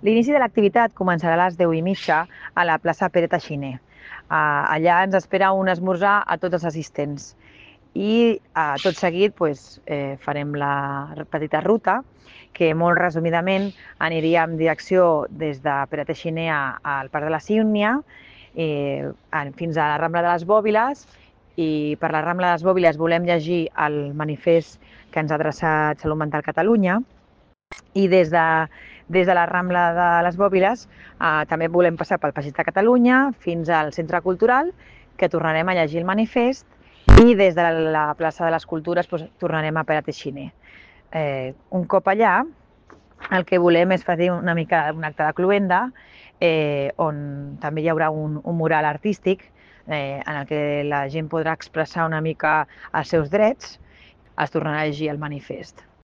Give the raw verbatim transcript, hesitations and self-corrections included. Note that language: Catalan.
L'inici de l'activitat començarà a les deu i mitja a la plaça Pere Teixiner. Uh, allà ens espera un esmorzar a tots els assistents i uh, tot seguit pues, eh, farem la petita ruta que molt resumidament aniria en direcció des de Pere Teixiner al Parc de la Sígnia eh, fins a la Rambla de les Bòbiles, i per la Rambla de les Bòbiles volem llegir el manifest que ens ha adreçat Salut Mental Catalunya, i des de, des de la Rambla de les Bòbiles eh, també volem passar pel Passeig de Catalunya fins al Centre Cultural, que tornarem a llegir el manifest, i des de la plaça de les Cultures doncs, tornarem a Pere Teixiner. Eh, un cop allà, el que volem és fer una mica un acte de cloenda, eh, on també hi haurà un, un mural artístic eh, en el que la gent podrà expressar una mica els seus drets. Es tornarà a llegir el manifest.